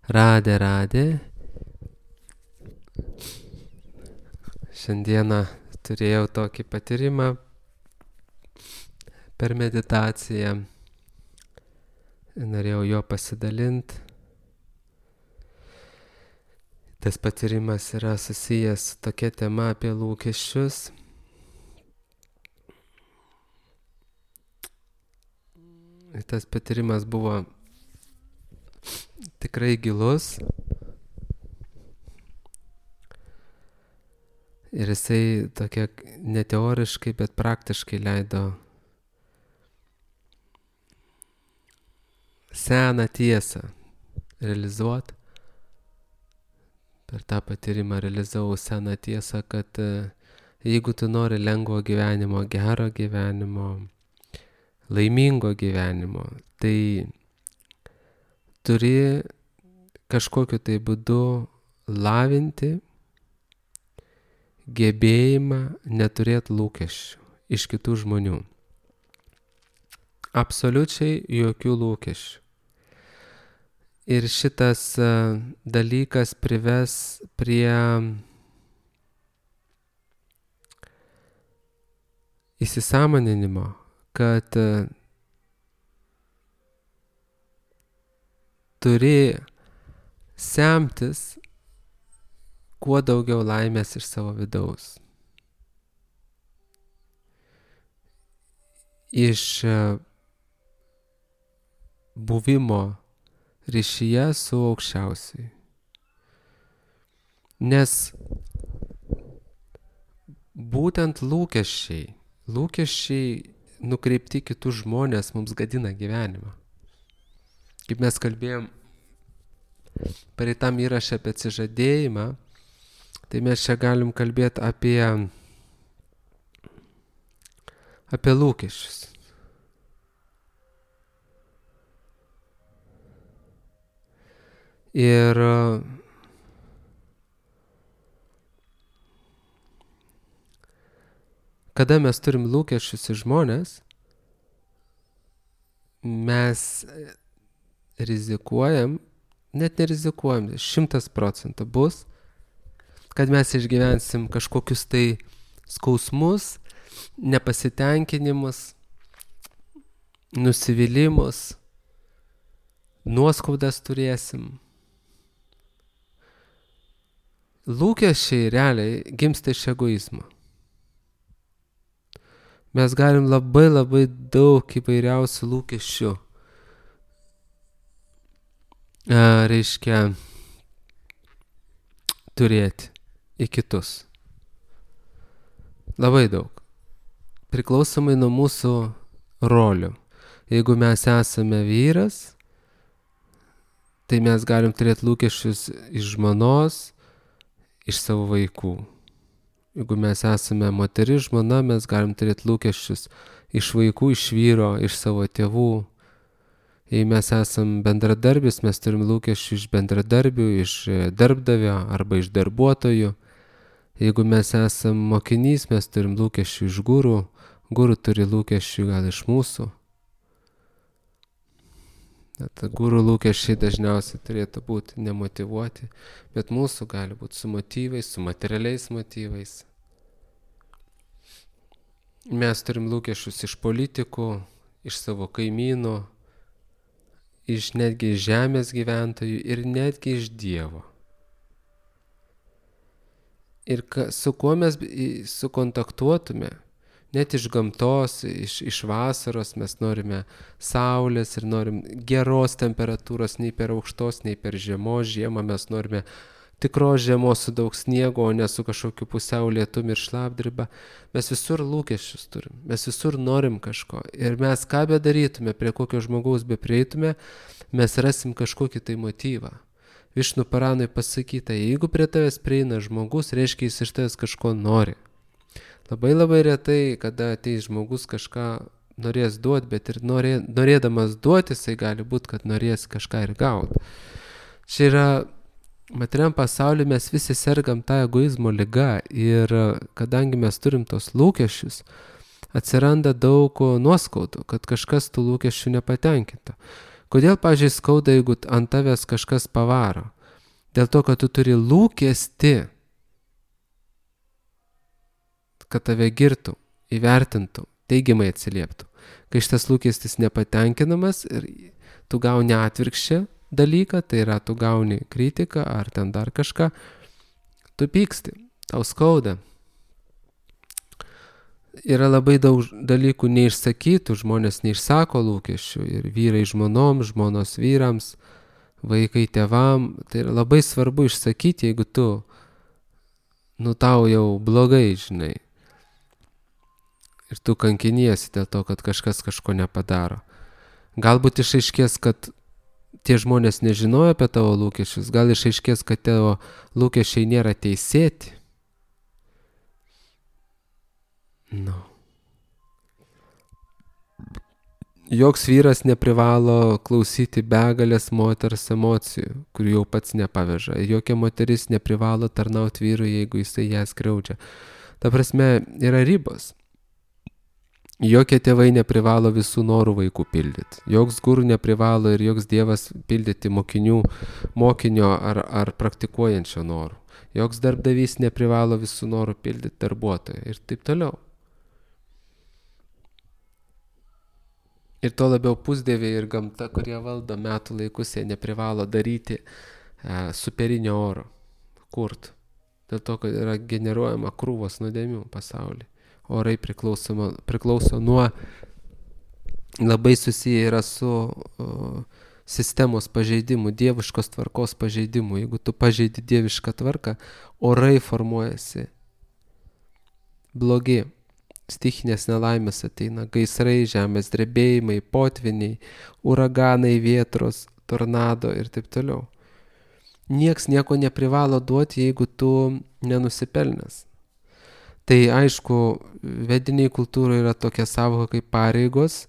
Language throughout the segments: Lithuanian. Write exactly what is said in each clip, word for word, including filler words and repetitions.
Radė, radė. Šiandieną turėjau tokį patyrimą per meditaciją. Norėjau jo pasidalinti. Tas patyrimas yra susijęs su tokia tema apie lūkesčius. Tas patyrimas buvo tikrai gilus. Ir jisai tokia ne teoriškai, bet praktiškai leido seną tiesą realizuoti. Per tą patyrimą realizavau seną tiesą, kad jeigu tu nori lengvo gyvenimo, gero gyvenimo, laimingo gyvenimo, tai turi kažkokiu tai būdu lavinti gebėjimą neturėti lūkesčių iš kitų žmonių. Absoliučiai jokių lūkesčių. Ir šitas uh, dalykas prives prie įsisąmoninimo, kad uh, turi semtis kuo daugiau laimės iš savo vidaus. Iš uh, buvimo ryšyje su aukščiausiai. Nes būtent lūkesčiai, lūkesčiai nukreipti kitus žmonės mums gadina gyvenimą. Kaip mes kalbėjom praeitam įraše apie atsižadėjimą, tai mes čia galim kalbėti apie, apie lūkesčius. Ir kada mes turim lūkesčius į žmonės, mes rizikuojam, net nerizikuojam, šimtas procentų bus, kad mes išgyvensim kažkokius tai skausmus, nepasitenkinimus, nusivylimus, nuoskaudas turėsim. Lūkesčiai realiai gimsta iš egoizmo. Mes galim labai labai daug įvairiausių lūkesčių, a, reiškia, turėti į kitus. Labai daug. Priklausomai nuo mūsų rolių. Jeigu mes esame vyras, tai mes galim turėti lūkesčius iš žmonos, iš savo vaikų. Jeigu mes esame moteris, žmona, mes galim turėti lūkesčius iš vaikų, iš vyro, iš savo tėvų. Jei mes esam bendradarbis, mes turim lūkesčių iš bendradarbių, iš darbdavio arba iš darbuotojų. Jeigu mes esam mokinys, mes turim lūkesčių iš guru, guru turi lūkesčių gal iš mūsų. Net guru lūkesčiai dažniausiai turėtų būti nemotyvuoti, bet mūsų gali būti su motyvais, su materialiais motyvais. Mes turim lūkesčius iš politikų, iš savo kaimynų, iš netgi žemės gyventojų ir netgi iš Dievo. Ir ka, su kuo mes sukontaktuotume, net iš gamtos, iš, iš vasaros mes norime saulės ir norim geros temperatūros, nei per aukštos, nei per žemos. Žiemą mes norime tikros žiemos su daug sniego, o ne su kažkokiu pusiau lietumi ir šlapdriba. Mes visur lūkesčius turim, mes visur norim kažko. Ir mes ką bedarytume, prie kokio žmogaus beprieitume, mes rasim kažkokį tai motyvą. Višnu Paranui pasakyta, jeigu prie tavęs prieina žmogus, reiškia jis iš tavęs kažko nori. Labai labai retai, kada ateis žmogus kažką norės duoti, bet ir norė, norėdamas duoti, jisai gali būti, kad norės kažką ir gauti. Čia yra, materiam pasaulyje mes visi sergam tą egoizmo ligą ir kadangi mes turim tos lūkesčius, atsiranda daug nuoskaudų, kad kažkas tų lūkesčių nepatenkinta. Kodėl, pavyzdžiui, skauda, jeigu ant tavęs kažkas pavaro? Dėl to, kad tu turi lūkestį, kad tave girtų, įvertintų, teigiamai atsilieptų. Kai šitas lūkestis nepatenkinamas ir tu gauni atvirkščią dalyką, tai yra tu gauni kritiką ar ten dar kažką, tu pyksti, tau skauda. Yra labai daug dalykų neišsakytų, žmonės neišsako lūkesčių ir vyrai žmonom, žmonos vyrams, vaikai tėvam. Tai yra labai svarbu išsakyti, jeigu tu, nu tau jau blogai, žinai. Ir tu kankiniesi dėl to, kad kažkas kažko nepadaro. Galbūt išaiškės, kad tie žmonės nežinojo apie tavo lūkesčius, gal išaiškės, kad tavo lūkesčiai nėra teisėti. Nu. Joks vyras neprivalo klausyti begalės moters emocijų, kurių jau pats nepaveža. Jokia moteris neprivalo tarnauti vyrui, jeigu jisai ją skriaudžia. Ta prasme, yra ribos. Jokie tėvai neprivalo visų norų vaikų pildyti. Joks guru neprivalo ir joks dievas pildyti mokinių, mokinio ar, ar praktikuojančio norų. Joks darbdavys neprivalo visų norų pildyti darbuotojo ir taip toliau. Ir to labiau pusdieviai ir gamta, kurie valdo metų laikus, jie neprivalo daryti e, superinio oro, kurt. Dėl to, kad yra generuojama krūvos nuodėmių pasaulyje. Orai priklauso, priklauso nuo, labai susiję yra su o, sistemos pažeidimu, dieviškos tvarkos pažeidimu. Jeigu tu pažeidi dievišką tvarką, orai formuojasi blogi. Stichinės nelaimės ateina, gaisrai, žemės drebėjimai, potviniai, uraganai, vietros, tornado ir taip toliau. Nieks nieko neprivalo duoti, jeigu tu nenusipelnęs. Tai aišku, vediniai kultūroje yra tokia savoka kaip pareigos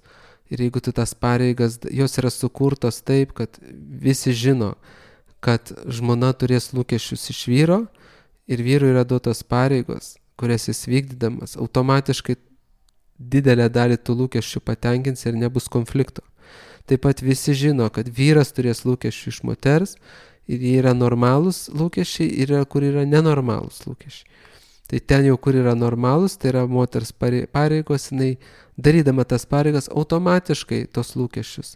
ir jeigu tu tas pareigas, jos yra sukurtos taip, kad visi žino, kad žmona turės lūkesčius iš vyro ir vyrui yra duotos pareigos, kurias jis vykdydamas, automatiškai didelę dalį tų lūkesčių patenkins ir nebus konflikto. Taip pat visi žino, kad vyras turės lūkesčių iš moters ir jie yra normalūs lūkesčiai ir yra, kur yra nenormalūs lūkesčiai. Tai ten jau, kur yra normalūs, tai yra moters pareigos, jinai darydama tas pareigas automatiškai tos lūkesčius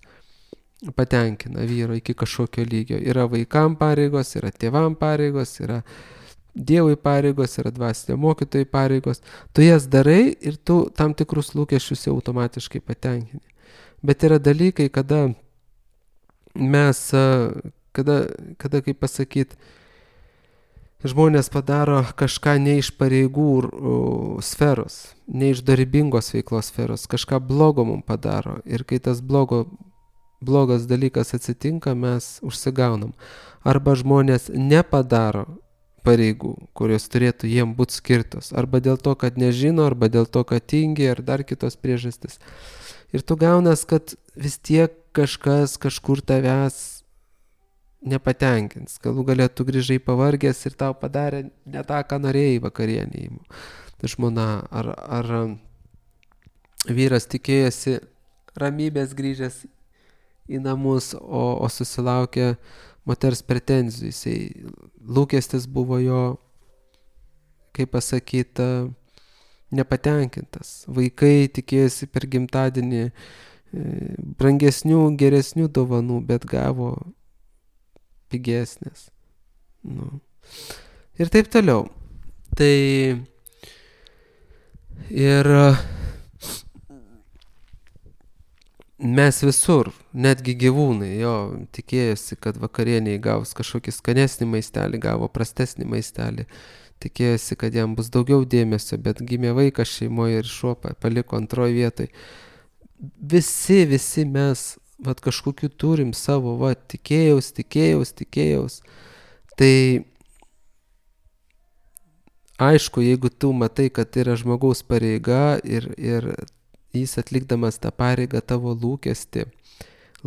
patenkina vyro iki kažkokio lygio. Yra vaikam pareigos, yra tėvam pareigos, yra Dievui pareigos, yra dvasinio mokytojai pareigos. Tu jas darai ir tu tam tikrus lūkesčius jau automatiškai patenkini. Bet yra dalykai, kada mes, kada, kada kaip pasakyti, žmonės padaro kažką ne iš pareigų sferos, ne iš dorybingos veiklos sferos, kažką blogo mums padaro. Ir kai tas blogo, blogas dalykas atsitinka, mes užsigaunam. Arba žmonės nepadaro pareigų, kurios turėtų jiem būti skirtos. Arba dėl to, kad nežino, arba dėl to, kad tingi, ar dar kitos priežastis. Ir tu gaunas, kad vis tiek kažkas kažkur tavęs nepatenkins. Galų galia tu grįžai pavargęs ir tau padarė ne tą, ką norėjai vakarienį. Tai žmona ar, ar vyras tikėjosi ramybės grįžęs į namus, o, o susilaukė moters pretenzijų. Jisai, lūkestis buvo jo, kaip pasakyta, nepatenkintas. Vaikai tikėjosi per gimtadienį brangesnių, geresnių dovanų, bet gavo pigesnės. Nu. Ir taip toliau. Tai ir mes visur, netgi gyvūnai, jo, tikėjosi, kad vakarieniai gaus kažkokį skanesnį maistelį, gavo prastesnį maistelį. Tikėjosi, kad jam bus daugiau dėmesio, bet gimė vaikas šeimoje ir šuo paliko antroje vietoje. Visi, visi mes, vat, kažkokių turim savo, va, tikėjaus, tikėjaus, tikėjaus. Tai aišku, jeigu tu matai, kad yra žmogaus pareiga ir, ir jis atlikdamas tą pareigą tavo lūkestį,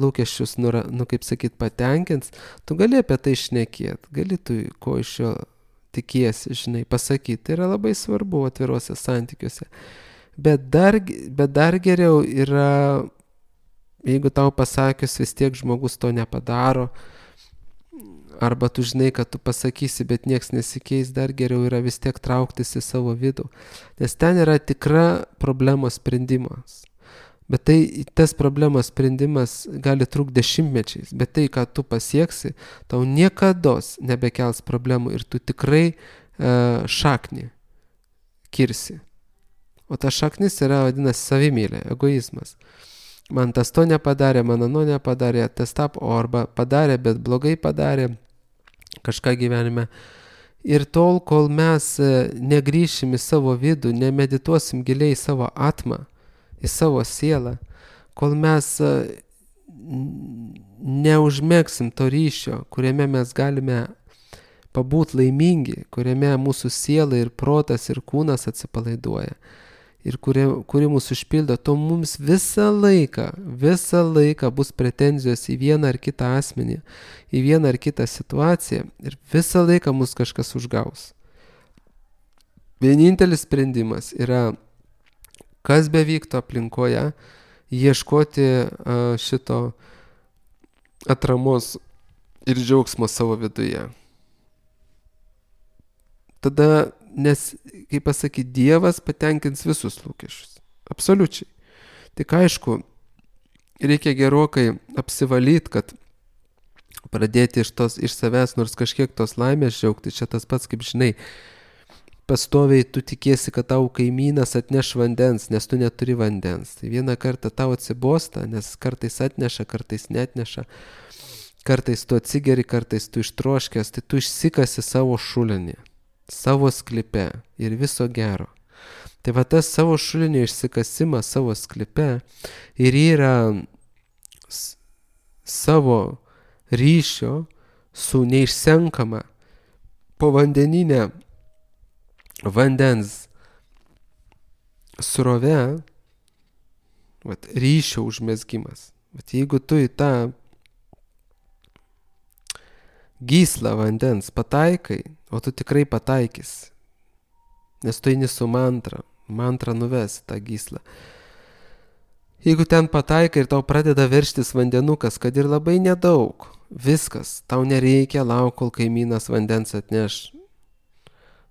lūkesčius, nu, nu kaip sakyt, patenkins, tu gali apie tai šnekėti, gali tu ko iš jo tikiesi, žinai, pasakyti. Tai yra labai svarbu atviruose santykiuose. Bet dar, bet dar geriau yra Jeigu tau pasakius vis tiek žmogus to nepadaro, arba tu žinai, kad tu pasakysi, bet nieks nesikeis, dar geriau yra vis tiek trauktis į savo vidų. Nes ten yra tikra problemos sprendimas. Bet tai, tas problemos sprendimas gali trukti dešimtmečiais, bet tai, ką tu pasieksi, tau niekados nebekels problemų ir tu tikrai uh, šaknį kirsi. O ta šaknis yra vadinasi savimylė, egoizmas. Man tas to nepadarė, man ano nepadarė, tas tap, o arba padarė, bet blogai padarė kažką gyvenime. Ir tol, kol mes negrįšim į savo vidų, nemedituosim giliai į savo atmą, į savo sielą, kol mes neužmėgsim to ryšio, kuriame mes galime pabūti laimingi, kuriame mūsų siela ir protas ir kūnas atsipalaiduoja ir kuri, kuri mūsų užpildo, to mums visą laiką, visą laiką bus pretenzijos į vieną ar kitą asmenį, į vieną ar kitą situaciją ir visą laiką mus kažkas užgaus. Vienintelis sprendimas yra, kas bevyktų aplinkoje, ieškoti uh, šito atramos ir džiaugsmo savo viduje. Tada, nes, kaip pasakyti, Dievas patenkins visus lūkesčius. Absoliučiai. Tik aišku, reikia gerokai apsivalyti, kad pradėti iš, tos, iš savęs nors kažkiek tos laimės džiaugti. Čia tas pats, kaip žinai, pastoviai tu tikėsi, kad tau kaimynas atneš vandens, nes tu neturi vandens. Tai vieną kartą tau atsibosta, nes kartais atneša, kartais netneša. Kartais tu atsigeri, kartais tu ištroškęs, tai tu išsikasi savo šulinį, savo sklipe ir viso gero. Tai va tas savo šulinio išsikasimas savo sklipe ir yra s- savo ryšio su neišsenkama povandeninė vandens srove, vat, ryšio užmezgimas. Vat, jeigu tu į tą gyslą vandens pataikai, o tu tikrai pataikys, nes tu eini su mantra, mantra nuves tą gyslą. Jeigu ten pataikai ir tau pradeda verštis vandenukas, kad ir labai nedaug, viskas, tau nereikia laukti, kol kaimynas vandens atneš.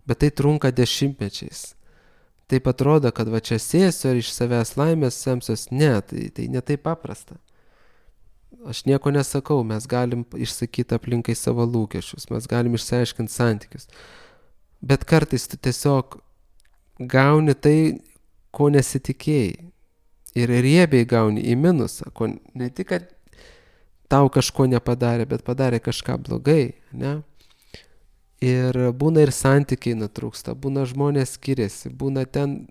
Bet tai trunka dešimtmečiais. Taip atrodo, kad va čia sėsiu ir iš savęs laimės semsios. Ne, tai, tai ne taip paprasta. Aš nieko nesakau, mes galim išsakyti aplinkai savo lūkesčius, mes galim išsiaiškinti santykius. Bet kartais tu tiesiog gauni tai, ko nesitikėjai. Ir riebiai gauni į minusą, ko ne tik, kad tau kažko nepadarė, bet padarė kažką blogai, ne? Ir būna ir santykiai nutrūksta, būna žmonės skiriasi, būna ten,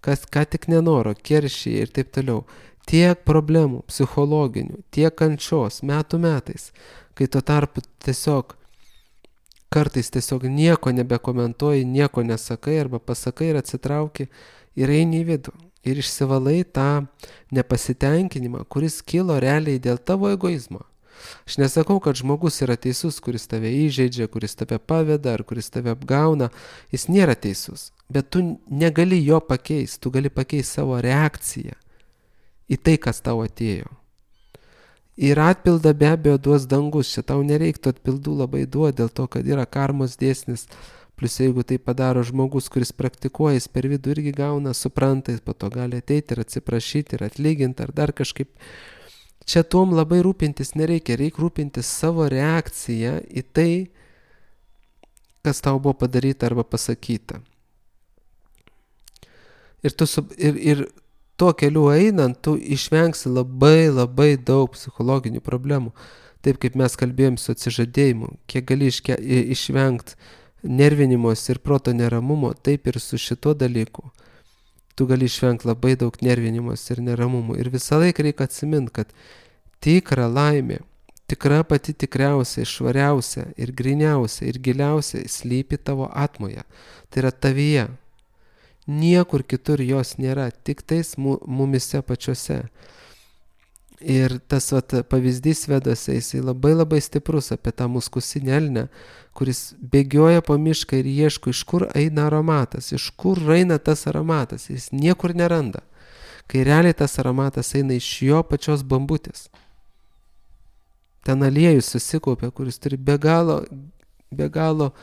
kas ką tik nenoro, keršiai ir taip toliau. Tiek problemų psichologinių, tiek kančios metų metais, kai tuo tarpu tiesiog kartais tiesiog nieko nebekomentuoji, nieko nesakai arba pasakai ir atsitrauki ir eini į vidų. Ir išsivalai tą nepasitenkinimą, kuris kilo realiai dėl tavo egoizmo. Aš nesakau, kad žmogus yra teisus, kuris tave įžeidžia, kuris tave paveda ar kuris tave apgauna. Jis nėra teisus, bet tu negali jo pakeisti, tu gali pakeisti savo reakciją į tai, kas tau atėjo. Ir atpildą be abejo duos dangus, čia tau nereiktų atpildų labai duoti, dėl to, kad yra karmos dėsnis. Plus jeigu tai padaro žmogus, kuris praktikuoja, jis per vidų irgi gauna, supranta, jis po to gali ateiti ir atsiprašyti ir atlyginti ar dar kažkaip. Čia tuom labai rūpintis nereikia, reikia rūpintis savo reakciją į tai, kas tau buvo padaryta arba pasakyta. Ir, tu, ir, ir tuo keliu einant, tu išvengsi labai labai daug psichologinių problemų. Taip kaip mes kalbėjom su atsižadėjimu, kiek gali iške, išvengti nervinimos ir proto neramumo, taip ir su šituo dalyku. Tu gali išvengti labai daug nervinimos ir neramumų. Ir visą laiką reikia atsiminti, kad tikra laimė, tikra pati tikriausia, švariausia ir griniausia ir giliausia slypi tavo atmoje. Tai yra tavyje. Niekur kitur jos nėra, tik tais mumise pačiuose. Ir tas vat, pavyzdys vedose, jisai labai labai stiprus apie tą muskusinę elnę, kuris bėgioja po mišką ir ieško, iš kur eina aromatas, iš kur eina tas aromatas, jis niekur neranda. kai realiai tas aromatas eina iš jo pačios bambutės. Ten aliejus susikaupia, kuris turi be galo, be galo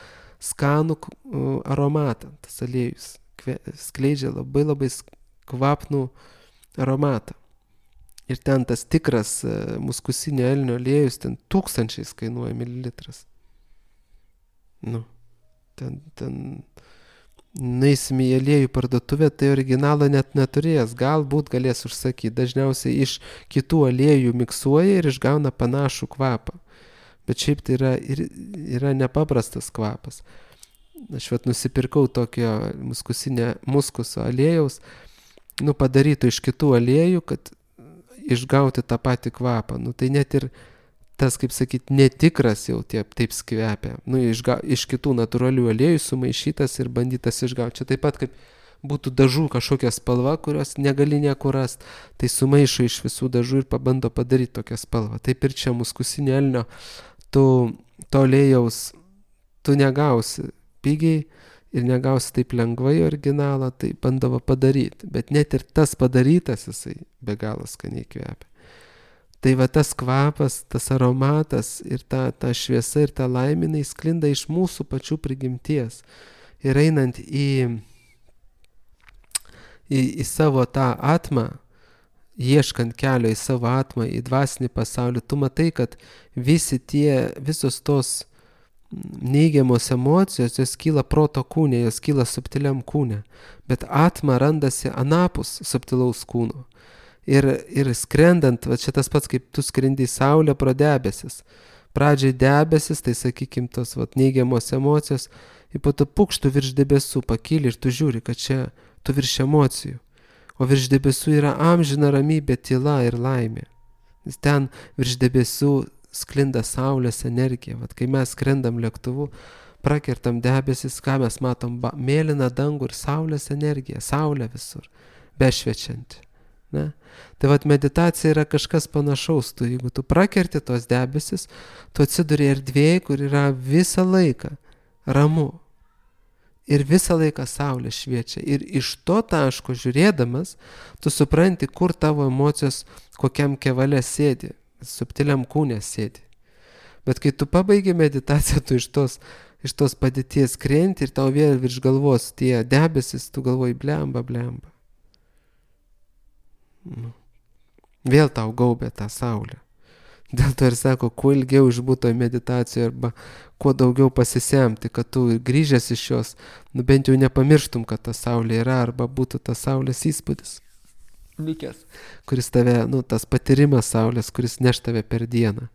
skanų aromatą. Tas aliejus skleidžia labai labai kvapnų aromatą. Ir ten tas tikras muskusinio elnio aliejus, ten tūkstančiais kainuoja mililitras. Nu, ten, ten, nueisim į aliejų parduotuvę, tai originalo net neturės, galbūt galės užsakyti. Dažniausiai iš kitų aliejų miksuoja ir išgauna panašų kvapą. Bet šiaip tai yra, yra nepaprastas kvapas. Aš vat nusipirkau tokio muskusinio muskuso aliejaus, nu padarytų iš kitų aliejų, kad išgauti tą patį kvapą. Nu tai net ir tas, kaip sakyt, netikras jau taip, taip skvepia. Nu išga, iš kitų natūralių aliejų sumaišytas ir bandytas išgauti. Čia taip pat kaip būtų dažų kažkokia spalva, kurios negali niekur rast. Tai sumaišo iš visų dažų ir pabando padaryti tokią spalvą. Taip ir čia muskusinio elnio, tu to aliejaus tu negausi pigiai ir negausi taip lengvai originalą, tai bandavo padaryti. Bet net ir tas padarytas jisai be galo skaniai kvepia. Tai va tas kvapas, tas aromatas ir ta, ta šviesa ir ta laimė sklinda iš mūsų pačių prigimties. Ir einant į, į, į savo tą atmą, ieškant kelio į savo atmą, į dvasinį pasaulį, tu matai, kad visi tie, visos tos neigiamos emocijos, jos kyla proto kūne, jos kyla subtiliam kūne, bet atma randasi anapus subtilaus kūno. Ir, ir skrendant, va čia tas pats, kaip tu skrendi į saulę pro debesis. Pradžiai debesis, tai sakykim, tos va, neigiamos emocijos, ir po to pukštų virš debesų pakyli ir tu žiūri, kad čia tu virš emocijų. O virš debesų yra amžina ramybė, tyla ir laimė. Nes ten virš debesų sklinda saulės energija. Vat kai mes skrendam lėktuvu, prakertam debesis, ką mes matom, ba, mėlyną dangų ir saulės energiją, saulė visur, bešviečianti. Ne? Tai vat meditacija yra kažkas panašaus. Tu, jeigu tu prakerti tos debesis, tu atsiduri erdvėje, kur yra visą laiką ramu. Ir visą laiką saulė šviečia. Ir iš to taško žiūrėdamas, tu supranti, kur tavo emocijos kokiam kevale sėdi. Subtiliam kūne sėdi. Bet kai tu pabaigi meditaciją, tu iš tos, iš tos padėties krenti ir tau vėl virš galvos tie debesis, tu galvoji blemba, blemba. Nu. Vėl tau gaubė tą saulę. Dėl to ir sako, kuo ilgiau išbūto meditacijoje arba kuo daugiau pasisemti, kad tu grįžęs iš jos, nu bent jau nepamirštum, kad ta saulė yra arba būtų tas saulės įspūdis. Likęs, kuris tave, nu, tas patyrimas saulės, kuris neš tave per dieną.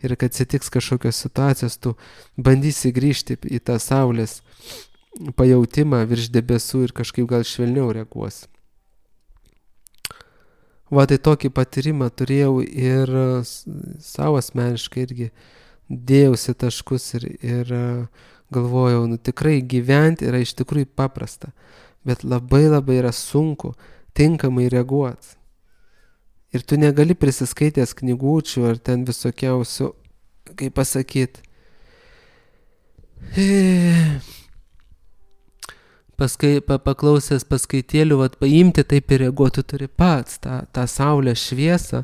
Ir kad atsitiks kažkokios situacijos, tu bandysi grįžti į tą saulės pajautimą virš debesų ir kažkaip gal švelniau reaguosi. Va, tai tokį patyrimą turėjau ir savo asmeniškai irgi dėjausi taškus ir, ir galvojau, nu tikrai gyventi yra iš tikrųjų paprasta, bet labai labai yra sunku tinkamai reaguoti. Ir tu negali prisiskaitęs knygučių ar ten visokiausių, kaip pasakyti, paskai, pa, paklausęs paskaitėlių, vat, paimti taip ir reaguoti turi pats tą, tą saulės šviesą,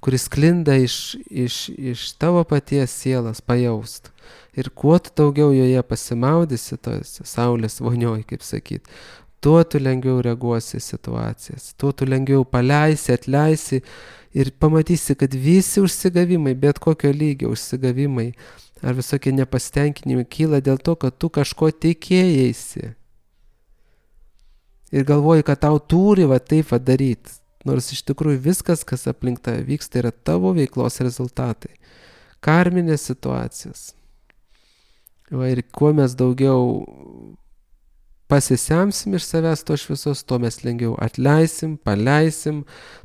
kuris sklinda iš, iš, iš tavo paties sielas pajaust. Ir kuo tu daugiau joje pasimaudysi, tos saulės vonioj, kaip sakyt, tuo tu lengviau reaguosi į situacijas, tuo tu lengviau paleisi, atleisi ir pamatysi, kad visi užsigavimai, bet kokio lygio užsigavimai ar visokie nepasitenkinimai kyla dėl to, kad tu kažko tikėjaisi. Ir galvoji, kad tau turi va taip va daryti, nors iš tikrųjų viskas, kas aplink tave vyksta, yra tavo veiklos rezultatai. Karminės situacijos. Va, ir kuo mes daugiau pasisemsim iš savęs to šviesos, to mes lengviau atleisim, paleisim,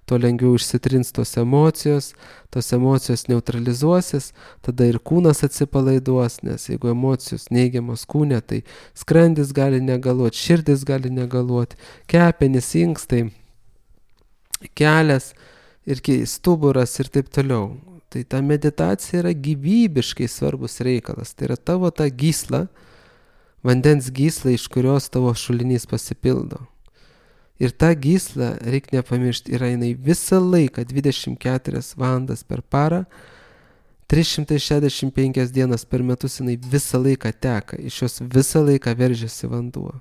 to lengviau išsitrins tos emocijos, tos emocijos neutralizuosis, tada ir kūnas atsipalaiduos, nes jeigu emocijos neigiamos kūne, tai skrandis gali negaluoti, širdis gali negaluoti, kepenys, inkstai, kelias ir stuburas ir taip toliau. Tai ta meditacija yra gyvybiškai svarbus reikalas, tai yra tavo ta gysla, vandens gysla, iš kurios tavo šulinys pasipildo. Ir ta gysla, reikia nepamiršti, yra jinai visą laiką, dvidešimt keturias valandas per parą, trys šimtai šešiasdešimt penkias dienas per metus jinai visą laiką teka, iš jos visą laiką veržiasi vanduo.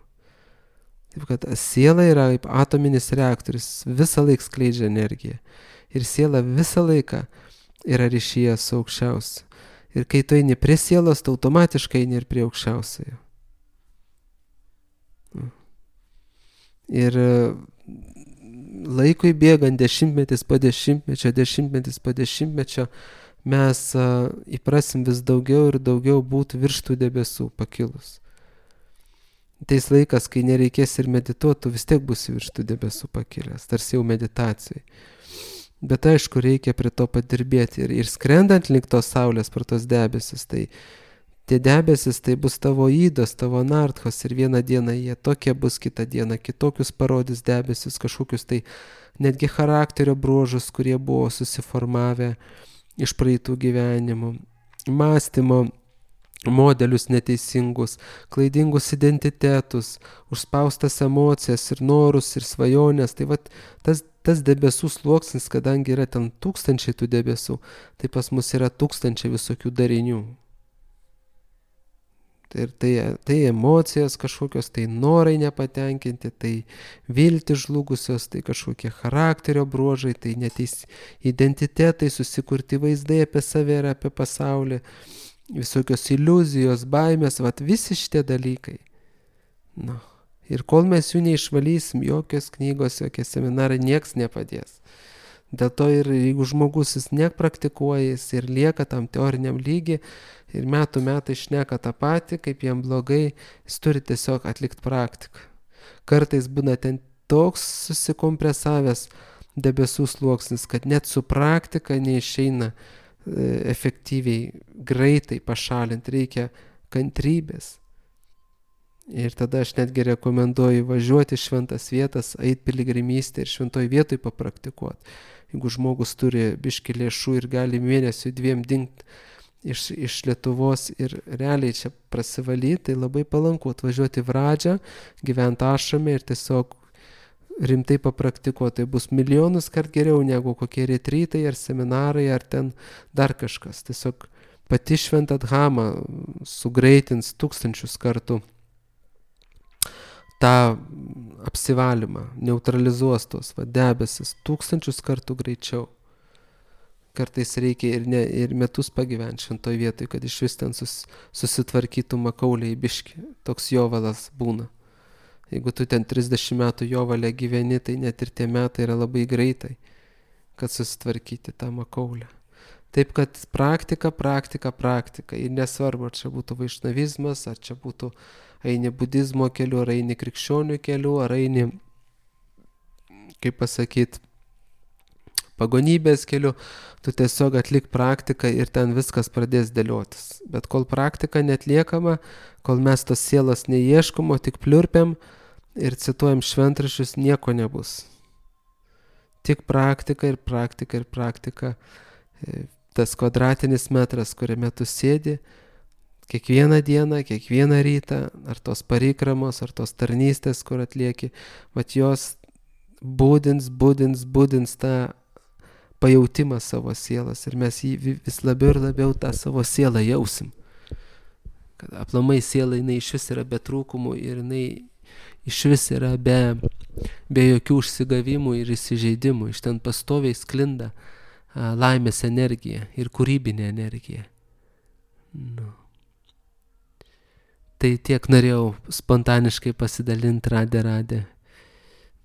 Taip kad siela yra kaip atominis reaktorius, visą laiką skleidžia energiją. Ir siela visą laiką yra ryšyje su aukščiausiu. Ir kai tu eini prie sielos, tu automatiškai eini ir prie aukščiausiojo. Ir laikui bėgant, dešimtmetis po dešimtmečio, dešimtmetis po dešimtmečio, mes uh, įprasim vis daugiau ir daugiau būti virš tų debesų pakilus. Teis laikas, kai nereikės ir medituotų, vis tiek būsi virš tų debesų pakilęs, tarsi jau meditacijai. Bet aišku, reikia prie to padirbėti ir, ir skrendant link tos saulės per tos debesis, tai tie debesis tai bus tavo įdos, tavo narthos ir vieną dieną jie tokie bus, kitą dieną kitokius parodys debesis, kažkokius tai netgi charakterio bruožus, kurie buvo susiformavę iš praeitų gyvenimų, mąstymo modelius neteisingus, klaidingus identitetus, užspaustas emocijas ir norus ir svajonės. Tai vat tas, tas debesų sluoksnis, kadangi yra ten tūkstančiai tų debesų, tai pas mus yra tūkstančiai visokių darinių. Tai, tai, tai emocijos kažkokios, tai norai nepatenkinti, tai viltis žlugusios, tai kažkokie charakterio bruožai, tai neteis identitetai, susikurti vaizdai apie save ir apie pasaulį, visokios iliuzijos, baimės, vat visi šitie dalykai. Nu, ir kol mes jų neišvalysim, jokios knygos, jokie seminarai, nieks nepadės. Dėl to ir jeigu žmogus jis nepraktikuoja, jis ir lieka tam teoriniam lygi ir metų metai šneka tą patį, kaip jam blogai, jis turi tiesiog atlikti praktiką. Kartais būna ten toks susikompresavęs debesų sluoksnis, kad net su praktika neišeina e, efektyviai, greitai pašalinti, reikia kantrybės. Ir tada aš netgi rekomenduoju važiuoti šventas vietas, eit piligrimystę ir šventoj vietoj papraktikuoti. Jeigu žmogus turi biškį lėšų ir gali mėnesių dviem dingt iš, iš Lietuvos ir realiai čia prasivalyti, tai labai palanku atvažiuoti į Vradžią, gyventi ašrame ir tiesiog rimtai papraktikuoti. Tai bus milijonus kart geriau negu kokie retrytai ar seminarai ar ten dar kažkas. Tiesiog pati šventa dhamma sugreitins tūkstančius kartų tą apsivalymą, neutralizuos tos va, debesis tūkstančius kartų greičiau. Kartais reikia ir, ne, ir metus pagyventi šventoj vietoj, kad iš vis ten sus, susitvarkytų makauliai biški. Toks jovalas būna. Jeigu tu ten trisdešimt metų jovalę gyveni, tai net ir tie metai yra labai greitai, kad susitvarkyti tą makaulę. Taip, kad praktika, praktika, praktika. Ir nesvarbu, ar čia būtų vaišnavizmas, ar čia būtų eini budizmo keliu, ar eini krikščionių keliu, ar eini, kaip pasakyti, pagonybės keliu, tu tiesiog atlik praktiką ir ten viskas pradės dėliotis. Bet kol praktika netliekama, kol mes tos sielos neieškom, o tik pliurpiam ir cituojam šventraščius, nieko nebus. Tik praktika ir praktika ir praktika. Tas kvadratinis metras, kuriame tu sėdi, kiekvieną dieną, kiekvieną rytą, ar tos parikramos, ar tos tarnystės, kur atlieki, mat jos būdins, būdins, būdins tą pajautimą savo sielas ir mes jį vis labiau ir labiau tą savo sielą jausim. Kad aplamai siela jinai iš vis yra be trūkumų ir jinai iš vis yra be, be jokių užsigavimų ir įsižeidimų. Iš ten pastoviai sklinda a, laimės energija ir kūrybinė energija. Nu. Tai tiek norėjau spontaniškai pasidalinti, radė, radė.